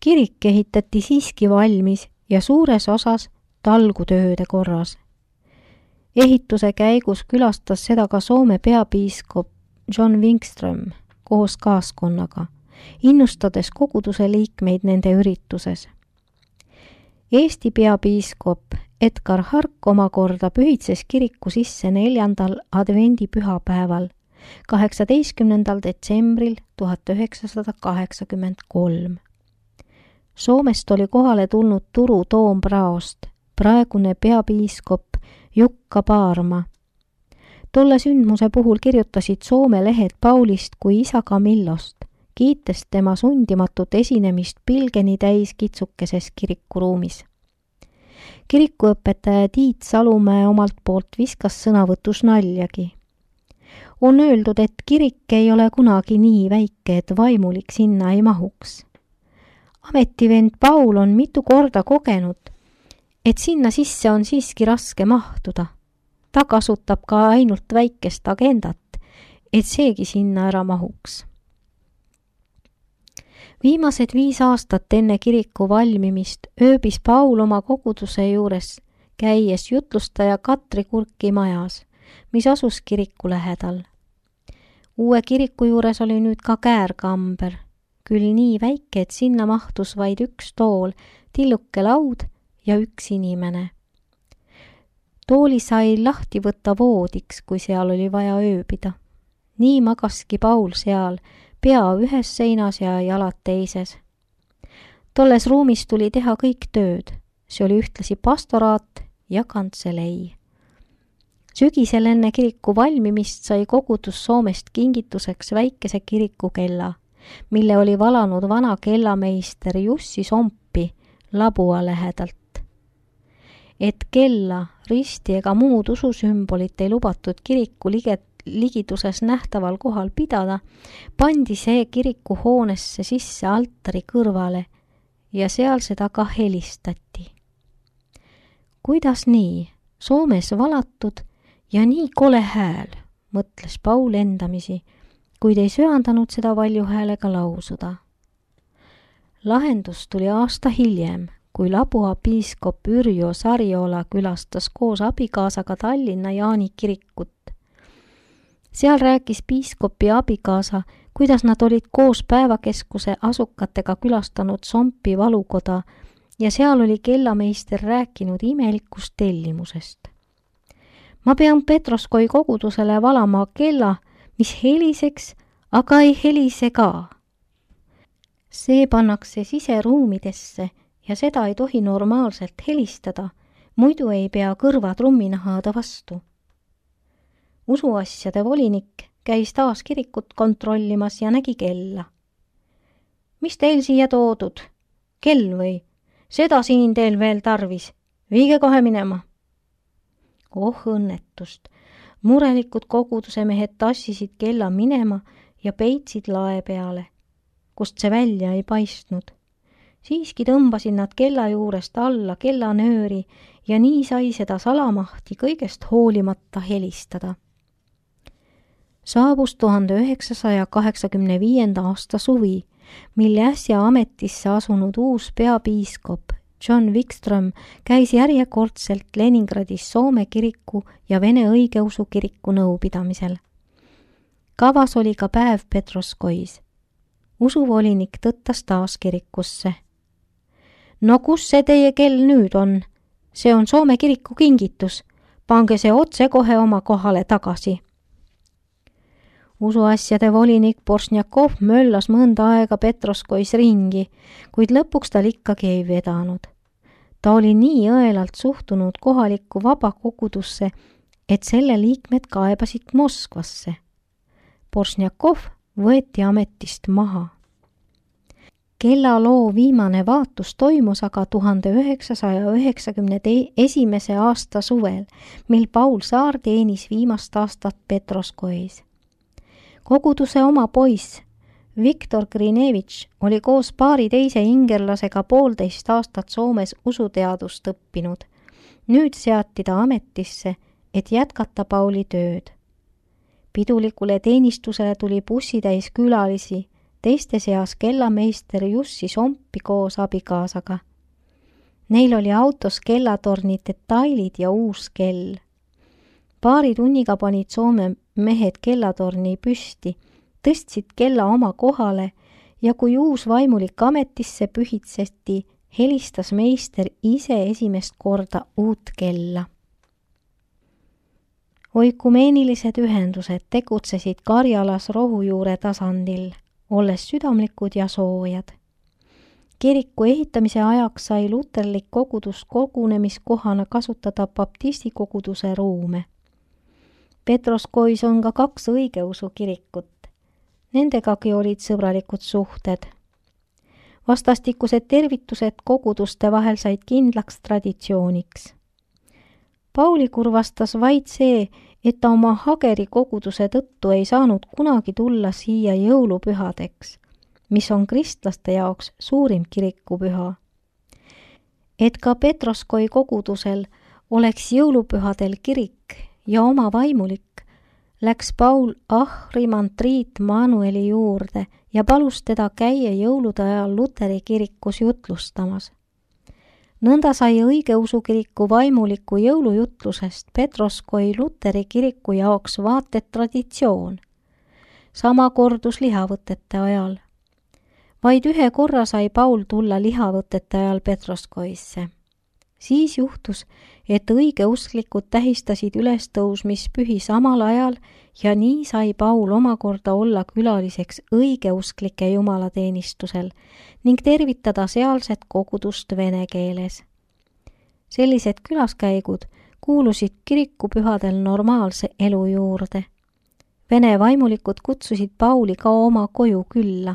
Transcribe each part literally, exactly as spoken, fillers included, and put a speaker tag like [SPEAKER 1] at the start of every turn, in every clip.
[SPEAKER 1] Kirik ehitati siiski valmis ja suures osas talgutööde korras. Ehituse käigus külastas seda ka Soome peapiiskop John Wikström koos kaaskonnaga, innustades koguduse liikmeid nende ürituses. Eesti peapiiskop Edgar Hark omakorda pühitses kiriku sisse neljandal advendi pühapäeval, kaheksateistkümnendal detsembril tuhat üheksasada kaheksakümmend kolm. Soomest oli kohale tulnud Turu Toompraost, praegune peapiiskop Jukka Paarma. Tolle sündmuse puhul kirjutasid Soome lehed Paulist kui isa Camillost, kiites tema sundimatut esinemist pilgeni täis kitsukeses kirikuruumis. Kirikuõpetaja Tiit Salumäe omalt poolt viskas sõnavõtus naljagi. On öeldud, et kirik ei ole kunagi nii väike, et vaimulik sinna ei mahuks. Ametivend Paul on mitu korda kogenud, et sinna sisse on siiski raske mahtuda. Ta kasutab ka ainult väikest agendat, et seegi sinna ära mahuks. Viimased viis aastat enne kiriku valmimist ööbis Paul oma koguduse juures, käies jutlustaja Katri Kurki majas, mis asus kiriku lähedal. Uue kiriku juures oli nüüd ka käärkamber, küll nii väike, et sinna mahtus vaid üks tool, tilluke laud ja üks inimene. Tooli sai lahti võtta voodiks, kui seal oli vaja ööbida. Nii magaski Paul seal, pea ühes seinas ja jalad teises. Tolles ruumis tuli teha kõik tööd. See oli ühtlasi pastoraat ja kantselei. Sügisel enne kiriku valmimist sai kogudus Soomest kingituseks väikese kirikukella, mille oli valanud vana kellameister Jussi Sompi Labua lähedalt. Et kella, risti ega muud ususümbolit ei lubatud kiriku liget, ligiduses nähtaval kohal pidada, pandi see kiriku hoonesse sisse altari kõrvale ja seal seda ka helistati. Kuidas nii? Soomes valatud ja nii kole hääl, mõtles Paul endamisi, kuid ei söandanud seda valju häälega lausuda. Lahendus tuli aasta hiljem, kui Labua piiskop Yrjö Sariola külastas koos abikaasaga Tallinna Jaani kirikut. Seal rääkis piiskopi abikaasa, kuidas nad olid koos päevakeskuse asukatega külastanud Sompi valukoda ja seal oli kellameister rääkinud imelikust tellimusest. Ma pean Petroskoi kogudusele valama kella, mis heliseks, aga ei helise ka. See pannakse siseruumidesse ja seda ei tohi normaalselt helistada, muidu ei pea kõrva trumminahada vastu. Usuasjade volinik käis taas kirikut kontrollimas ja nägi kella. Mis teil siia toodud? Kell või? Seda siin teil veel tarvis. Viige kohe minema. Oh õnnetust. Murelikud koguduse mehed tassisid kella minema ja peitsid lae peale, kust see välja ei paistnud. Siiski tõmbasid nad kella juurest alla kellanööri ja nii sai seda salamahti kõigest hoolimata helistada. Saabus tuhande üheksasaja kaheksakümne viienda aasta suvi, mille äsja ametisse asunud uus peapiiskop John Wikström käis järjekordselt Leningradis Soome kiriku ja Vene õigeusu kiriku nõupidamisel. Kavas oli ka päev Petroskois. Usuvolinik tõttas taas kirikusse. No kus see teie kell nüüd on? See on Soome kiriku kingitus. Pange see otse kohe oma kohale tagasi. Usuasjade volinik Borsnjakov möllas mõnda aega Petroskois ringi, kuid lõpuks tal ikkagi ei vedanud. Ta oli nii õelalt suhtunud kohalikku vabakogudusse, et selle liikmed kaebasid Moskvasse. Borsnjakov võeti ametist maha. Kellaloo viimane vaatus toimus aga tuhande üheksasaja üheksakümne esimese aasta suvel, mil Paul Saar teenis viimast aastat Petroskois. Koguduse oma poiss Viktor Grinevitš oli koos paari teise ingerlasega poolteist aastat Soomes usuteadust õppinud. Nüüd seati ta ametisse, et jätkata Pauli tööd. Pidulikule teenistusele tuli bussitäis külalisi, teiste seas kellameister Jussi Sompi koos abikaasaga. Neil oli autos kellatorni detailid ja uus kell. Paari tunniga panid Soome mehed kellatorni püsti, tõstsid kella oma kohale ja kui uus vaimulik ametisse pühitseti, helistas meister ise esimest korda uut kella. Oikumeenilised ühendused tegutsesid Karjalas rohujuure tasandil, olles südamlikud ja soojad. Kiriku ehitamise ajaks sai luterlik kogudus kogunemiskohana kasutada baptisti koguduse ruume. Petroskois on ka kaks õigeusu kirikut. Nendegagi olid sõbralikud suhted. Vastastikused tervitused koguduste vahel said kindlaks traditsiooniks. Pauli kurvastas vaid see, et ta oma Hageri koguduse tõttu ei saanud kunagi tulla siia jõulupühadeks, mis on kristlaste jaoks suurim kirikupüha. Et ka Petroskoi kogudusel oleks jõulupühadel kirik ja oma vaimulik, läks Paul ahrimantriit Manueli juurde ja palus teda käia jõulude ajal Luteri kirikus jutlustamas. Nõnda sai õigeusu kiriku vaimuliku jõulujutlusest Petroskoi Luteri kiriku jaoks vaated traditsioon. Sama kordus lihavõtete ajal. Vaid ühe korra sai Paul tulla lihavõtete ajal Petroskoisse. Siis juhtus, et õigeusklikud tähistasid ülestõusmispühi samal ajal ja nii sai Paul omakorda olla külaliseks õigeusklike jumalateenistusel ning tervitada sealset kogudust vene keeles. Sellised külaskäigud kuulusid kirikupühadel normaalse elu juurde. Vene vaimulikud kutsusid Pauli ka oma koju külla.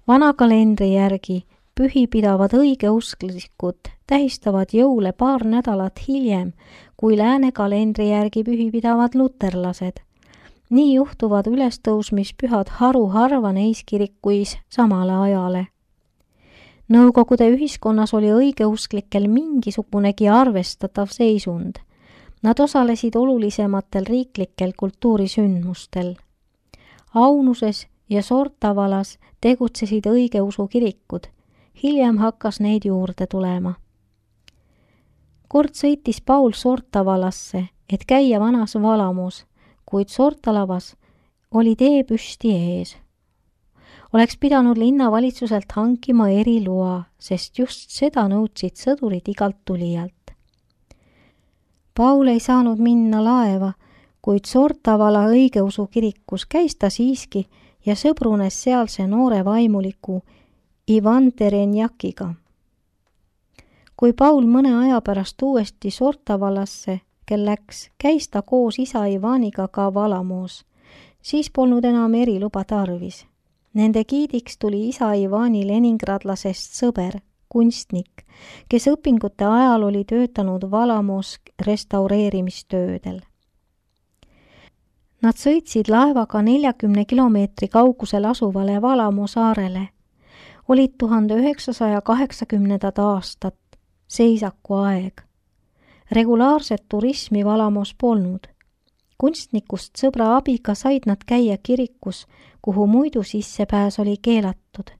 [SPEAKER 1] Vana kalendri järgi pühi pidavad õigeusklikud tähistavad jõule paar nädalat hiljem, kui lääne kalendri järgi pühi pidavad luterlased. Nii juhtuvad ülestõusmispühad haruharva neis kirikuis samale ajale. Nõukogude ühiskonnas oli õigeusklikel mingisugunegi arvestatav seisund. Nad osalesid olulisematel riiklikel kultuurisündmustel. Aunuses ja Sortavalas tegutsesid õigeusu kirikud. Hiljem hakkas neid juurde tulema. Kord sõitis Paul Sortavalasse, et käia vanas Valamus, kuid Sortalavas oli tee püsti ees. Oleks pidanud linnavalitsuselt hankima eriloa, sest just seda nõudsid sõdurid igalt tulijalt. Paul ei saanud minna laeva, kuid Sortavala õigeusu kirikus käis ta siiski ja sõbrunes sealse noore vaimuliku Ivan Terenjakiga. Kui Paul mõne aja pärast uuesti Sortavalasse, kel läks, käis ta koos isa Ivaniga ka Valamoos. Siis polnud enam eriluba tarvis. Nende giidiks tuli isa Ivani leningradlasest sõber, kunstnik, kes õpingute ajal oli töötanud Valamoos restaureerimistöödel. Nad sõitsid laevaga neljakümne kilomeetri kaugusel asuvale Valamoo saarele. Olid tuhande üheksasaja kaheksakümnendad aastat, seisaku aeg. Regulaarset turismi Valamoos polnud. Kunstnikust sõbra abiga said nad käia kirikus, kuhu muidu sissepääs oli keelatud.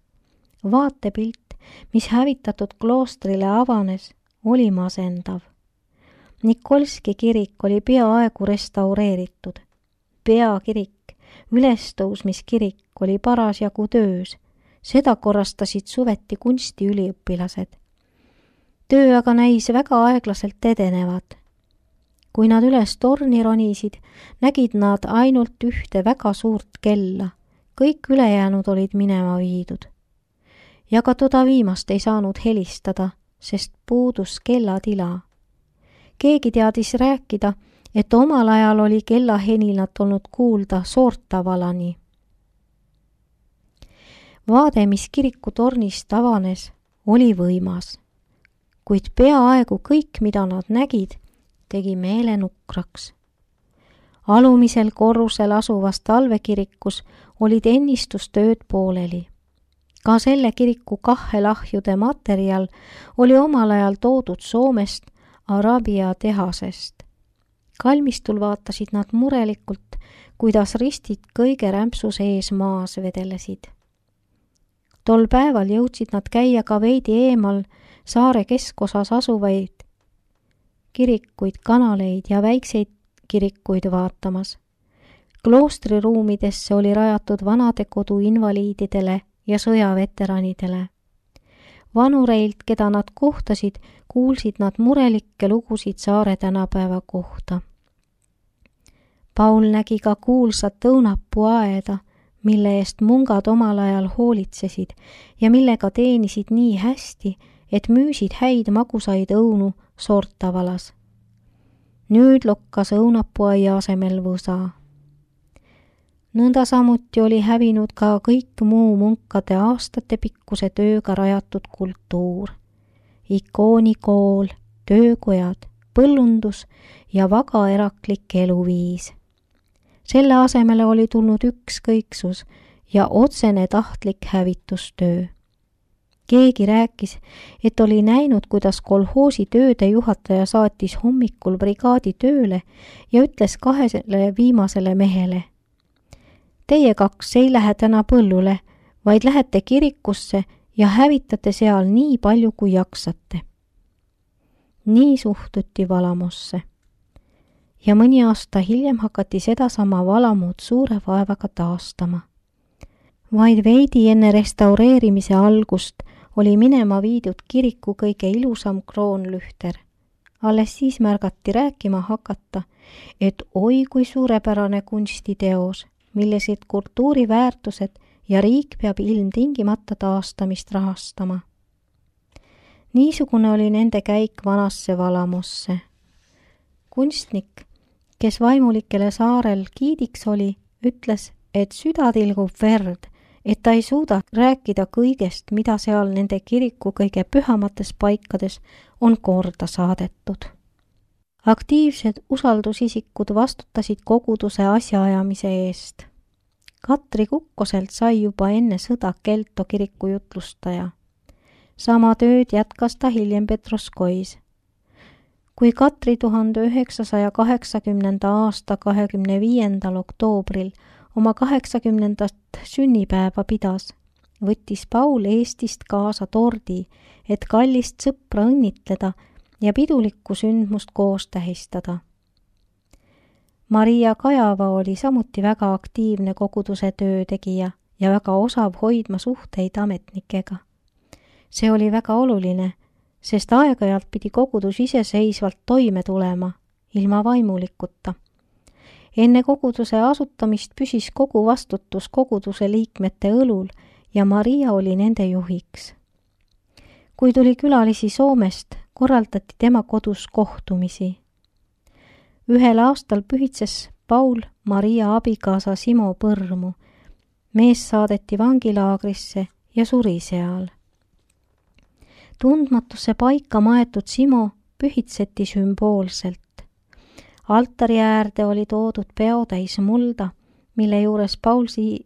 [SPEAKER 1] Vaatepilt, mis hävitatud kloostrile avanes, oli masendav. Nikolski kirik oli peaaegu restaureeritud. Peakirik, ülestõusmiskirik oli parasjagu töös. Seda korrastasid suveti kunstiüliõpilased. Töö aga näis väga aeglaselt edenevad. Kui nad üles torni ronisid, nägid nad ainult ühte väga suurt kella. Kõik ülejäänud olid minema viidud. Ja ka toda viimast ei saanud helistada, sest puudus kellatila. Keegi teadis rääkida, et omal ajal oli kellaheninat olnud kuulda Sortavalani. Vaade, mis kiriku tornist avanes, oli võimas, kuid peaaegu kõik, mida nad nägid, tegi meele nukraks. Alumisel korrusel asuvas talvekirikus olid ennistustööd pooleli. Ka selle kiriku kahhelahjude materjal oli omal ajal toodud Soomest Arabia tehasest. Kalmistul vaatasid nad murelikult, kuidas ristid kõige rämpsus ees maas vedelesid. Tol päeval jõudsid nad käia ka veidi eemal saare keskosas asuvaid kirikuid, kanaleid ja väikseid kirikuid vaatamas. Kloostriruumidesse oli rajatud vanadekodu invaliididele ja sõjaveteranidele. Vanureilt, keda nad kohtasid, kuulsid nad murelikke lugusid saare tänapäeva kohta. Paul nägi ka kuulsat õunapuuaeda, mille eest mungad omal ajal hoolitsesid ja millega teenisid nii hästi, et müüsid häid magusaid õunu Sortavalas. Nüüd lokkas õunapuuaia asemel võsa. Nõnda samuti oli hävinud ka kõik muu munkade aastatepikkuse tööga rajatud kultuur. Ikoonikool, töökojad, põllundus ja vaga eraklik eluviis. Selle asemele oli tulnud ükskõiksus ja otsene tahtlik hävitustöö. Keegi rääkis, et oli näinud, kuidas kolhoosi tööde juhataja saatis hommikul brigaadi tööle ja ütles kahele viimasele mehele: Teie kaks ei lähe täna põllule, vaid lähete kirikusse ja hävitate seal nii palju, kui jaksate. Nii suhtuti Valamosse. Ja mõni aasta hiljem hakati sedasama Valamut suure vaevaga taastama. Vaid veidi enne restaureerimise algust oli minema viidud kiriku kõige ilusam kroonlühter. Alles siis märgati rääkima hakata, et oi kui suurepärane kunstiteos, millised kultuuriväärtused ja riik peab ilmtingimata taastamist rahastama. Niisugune oli nende käik vanasse Valamosse. Kunstnik, kes vaimulikele saarel giidiks oli, ütles, et süda tilgub verd, et ta ei suuda rääkida kõigest, mida seal nende kiriku kõige pühamates paikades on korda saadetud. Aktiivsed usaldusisikud vastutasid koguduse asjaajamise eest. Katri Kukkoselt sai juba enne sõda Kelto kiriku jutlustaja. Sama tööd jätkas ta hiljem Petroskois. Kui Katri tuhande üheksasaja kaheksakümnenda aasta kahekümne viiendal oktoobril oma kaheksakümnendat sünnipäeva pidas, võttis Paul Eestist kaasa tordi, et kallist sõpra õnnitleda ja pidulikku sündmust koos tähistada. Maria Kajava oli samuti väga aktiivne koguduse töötegija ja väga osav hoidma suhteid ametnikega. See oli väga oluline, sest aeg-ajalt pidi kogudus iseseisvalt toime tulema, ilma vaimulikuta. Enne koguduse asutamist püsis kogu vastutus koguduse liikmete õlul ja Maria oli nende juhiks. Kui tuli külalisi Soomest, korraldati tema kodus kohtumisi. Ühel aastal pühitses Paul Maria abikaasa Simo Põrmu. Mees saadeti vangilaagrisse ja suri seal. Tundmatusse paika maetud Simo pühitseti sümboolselt. Altari äärde oli toodud peotäis mulda, mille juures Paul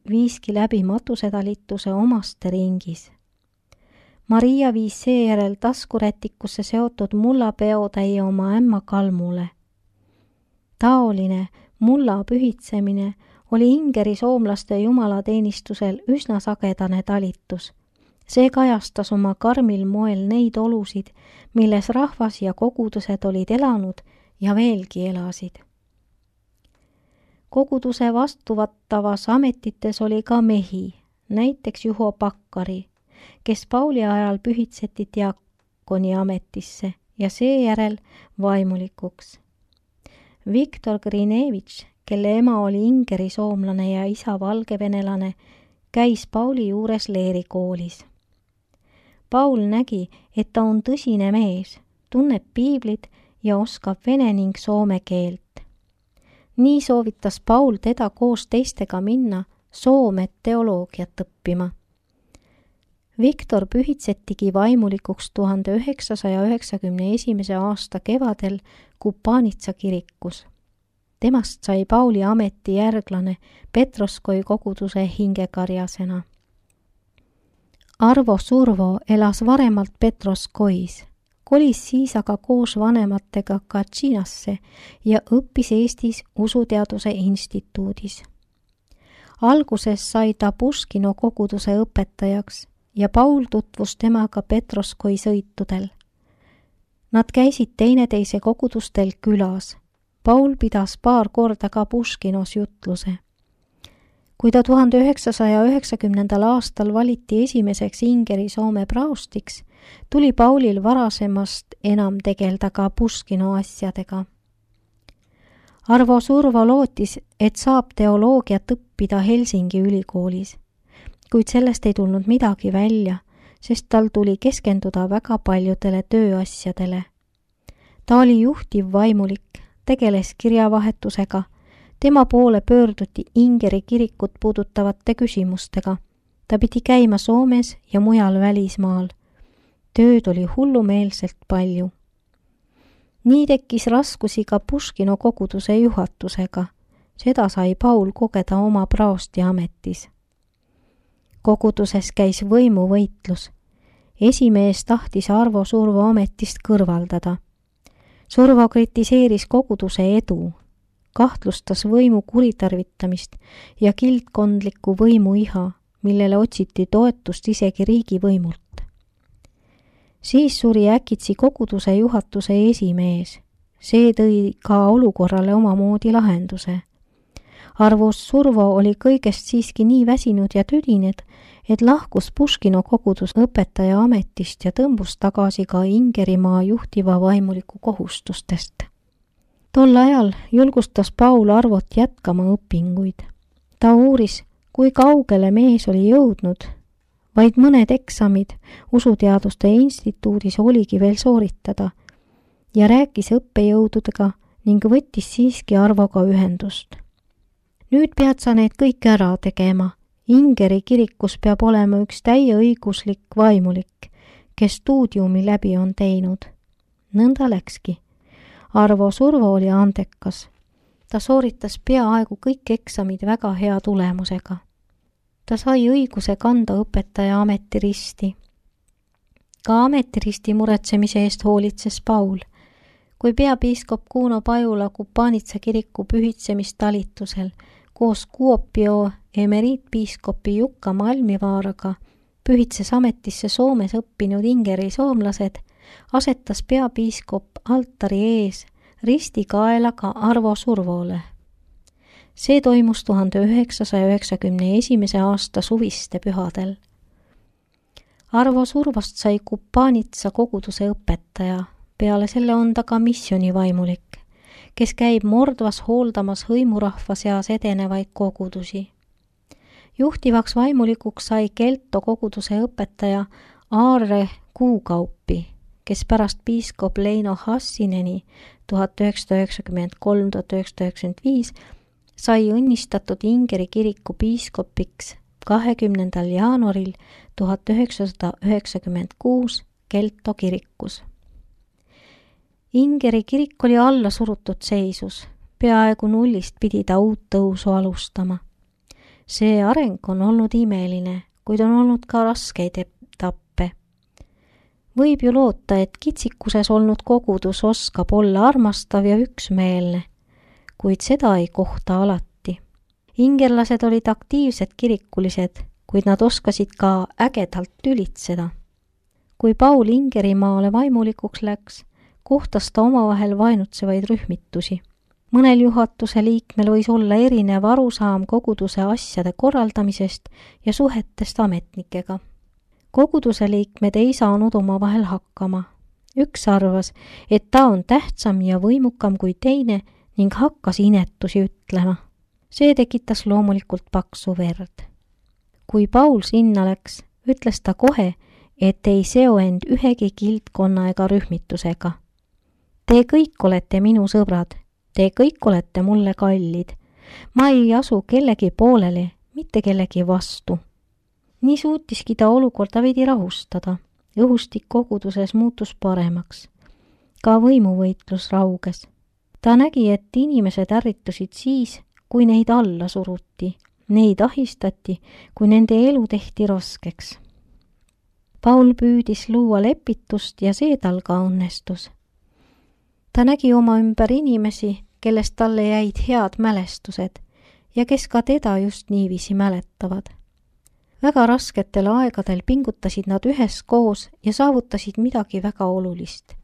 [SPEAKER 1] viiski läbi matusetalituse omaste ringis. Maria viis seejärel taskurätikusse seotud mulla peotäie oma ämma Kalmule. Taoline mulla pühitsemine oli Ingeri soomlaste jumalateenistusel üsna sagedane talitus. See kajastas oma karmil moel neid olusid, milles rahvas ja kogudused olid elanud ja veelgi elasid. Koguduse vastuvattavas ametites oli ka mehi, näiteks Juho Pakkari, kes Pauli ajal pühitseti diakoni ametisse ja seejärel vaimulikuks. Viktor Grinevitš, kelle ema oli Ingeri soomlane ja isa valgevenelane, käis Pauli juures leerikoolis. Paul nägi, et ta on tõsine mees, tunneb piiblit ja oskab vene ning soome keelt. Nii soovitas Paul teda koos teistega minna Soome teoloogiat õppima. Viktor pühitsetigi vaimulikuks tuhande üheksasaja üheksakümne esimese aasta kevadel Kupanitsa kirikus. Temast sai Pauli ameti järglane Petroskoi koguduse hingekarjasena. Arvo Survo elas varemalt Petroskois. kolis siis aga koos vanematega Katšinasse ja õppis Eestis usuteaduse instituudis. Alguses sai ta Puškino koguduse õpetajaks ja Paul tutvus temaga Petroskoi sõitudel. Nad käisid teineteise kogudustel külas. Paul pidas paar korda ka Puškinos jutluse. Kui ta tuhande üheksasaja üheksakümnendal aastal valiti esimeseks Ingeri Soome praostiks, tuli Paulil varasemast enam tegelda ka Puškino asjadega. Arvo Survo lootis, et saab teoloogiat õppida Helsingi ülikoolis, kuid sellest ei tulnud midagi välja, sest tal tuli keskenduda väga paljudele tööasjadele. Ta oli juhtiv vaimulik, tegeles kirjavahetusega, tema poole pöörduti Ingeri kirikut puudutavate küsimustega. Ta pidi käima Soomes ja mujal välismaal. Tööd oli hullumeelselt palju. Nii tekkis raskusi ka Puškino koguduse juhatusega. Seda sai Paul kogeda oma praosti ametis. Koguduses käis võimuvõitlus. Esimees tahtis Arvo Survo ametist kõrvaldada. Survo kritiseeris koguduse edu, kahtlustas võimu kuritarvitamist ja kildkondliku võimu iha, millele otsiti toetust isegi riigivõimult. Siis suri äkitsi koguduse juhatuse esimees. See tõi ka olukorrale omamoodi lahenduse. Arvo Survo oli kõigest siiski nii väsinud ja tüdined, et lahkus Puškino kogudus õpetaja ametist ja tõmbus tagasi ka Ingerimaa juhtiva vaimuliku kohustustest. Tol ajal julgustas Paul Arvot jätkama õpinguid. Ta uuris, kui kaugele mees oli jõudnud. Vaid mõned eksamid usuteaduste instituudis oligi veel sooritada ja rääkis õppejõududega ning võttis siiski Arvoga ühendust. Nüüd pead sa need kõik ära tegema. Ingeri kirikus peab olema üks täieõiguslik vaimulik, kes stuudiumi läbi on teinud. Nõnda läkski. Arvo Survo oli andekas. Ta sooritas peaaegu kõik eksamid väga hea tulemusega. Ta sai õiguse kanda õpetaja ametiristi. Ka ametiristi muretsemise eest hoolitses Paul. Kui peapiiskop Kuno Pajula Kupanitsa kiriku pühitsemistalitusel koos Kuopio emeriitpiiskopi Jukka Malmivaaraga pühitses ametisse Soomes õppinud Ingeri soomlased, asetas peapiiskop altari ees risti kaelaga Arvo Survole. See toimus tuhande üheksasaja üheksakümne esimese aasta suviste pühadel. Arvo Survost sai Kupanitsa koguduse õpetaja, peale selle on ta ka missionivaimulik, kes käib Mordvas hooldamas hõimurahva seas edenevaid kogudusi. Juhtivaks vaimulikuks sai Kelto koguduse õpetaja Aarre Kuukaupi, kes pärast piiskop Leino Hassineni tuhat üheksasada üheksakümmend kolm kuni tuhat üheksasada üheksakümmend viis sai õnnistatud Ingeri kiriku piiskopiks kahekümnendal jaanuaril tuhat üheksasada üheksakümmend kuus Kelto kirikus. Ingeri kirik oli alla surutud seisus, peaaegu nullist pidi ta uut tõusu alustama. See areng on olnud imeline, kuid on olnud ka raskeid etappe. Võib ju loota, et kitsikuses olnud kogudus oskab olla armastav ja üksmeelne, kuid seda ei kohta alati. Ingerlased olid aktiivsed kirikulised, kuid nad oskasid ka ägedalt tülitseda. Kui Paul Ingerimaale vaimulikuks läks, kohtas ta omavahel vaenutsevaid rühmitusi. Mõnel juhatuse liikmel võis olla erinev arusaam koguduse asjade korraldamisest ja suhetest ametnikega. Koguduse liikmed ei saanud omavahel hakkama. Üks arvas, et ta on tähtsam ja võimukam kui teine ning hakkas inetusi ütlema. See tekitas loomulikult paksu verd. Kui Paul sinna läks, ütles ta kohe, et ei seo end ühegi kildkonna ega rühmitusega. Te kõik olete minu sõbrad, te kõik olete mulle kallid. Ma ei asu kellegi poolele, mitte kellegi vastu. Nii suutiski ta olukorda veidi rahustada. Õhustik koguduses muutus paremaks. Ka võimuvõitlus rauges. Ta nägi, et inimesed ärritusid siis, kui neid alla suruti. Neid ahistati, kui nende elu tehti raskeks. Paul püüdis luua lepitust ja see tal ka õnnestus. Ta nägi oma ümber inimesi, kellest talle jäid head mälestused ja kes ka teda just niiviisi mäletavad. Väga rasketel aegadel pingutasid nad üheskoos ja saavutasid midagi väga olulist.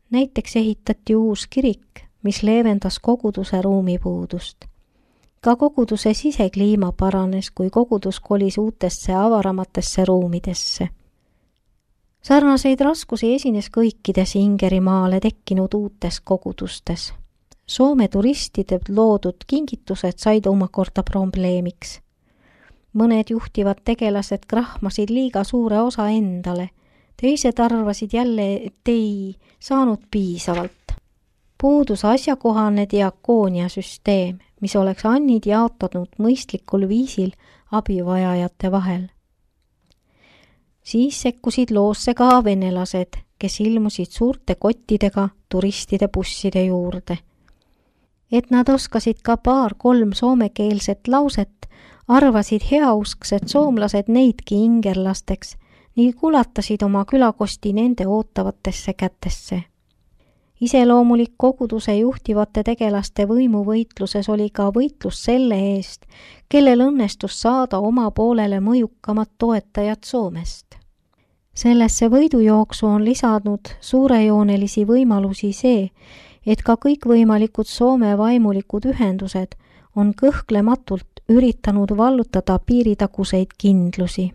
[SPEAKER 1] Näiteks ehitati uus kirik, mis leevendas koguduse ruumipuudust. Ka koguduse sisekliima paranes, kui kogudus kolis uutesse avaramatesse ruumidesse. Sarnaseid raskusi esines kõikides Ingerimaale tekkinud uutes kogudustes. Soome turistide loodud kingitused said omakorda probleemiks. Mõned juhtivad tegelased krahmasid liiga suure osa endale, teised arvasid jälle, et ei saanud piisavalt. Puudus asjakohane diakooniasüsteem, mis oleks annid jaotanud mõistlikul viisil abivajajate vahel. Siis sekkusid loosse ka venelased, kes ilmusid suurte kottidega turistide busside juurde. Et nad oskasid ka paar-kolm soomekeelset lauset, arvasid heausksed soomlased neidki ingerlasteks ning kulatasid oma külakosti nende ootavatesse kätesse. Iseloomulik koguduse juhtivate tegelaste võimuvõitluses oli ka võitlus selle eest, kellel õnnestus saada oma poolele mõjukamad toetajad Soomest. Sellesse võidujooksu on lisanud suurejoonelisi võimalusi see, et ka kõikvõimalikud Soome vaimulikud ühendused on kõhklematult üritanud vallutada piiritaguseid kindlusi.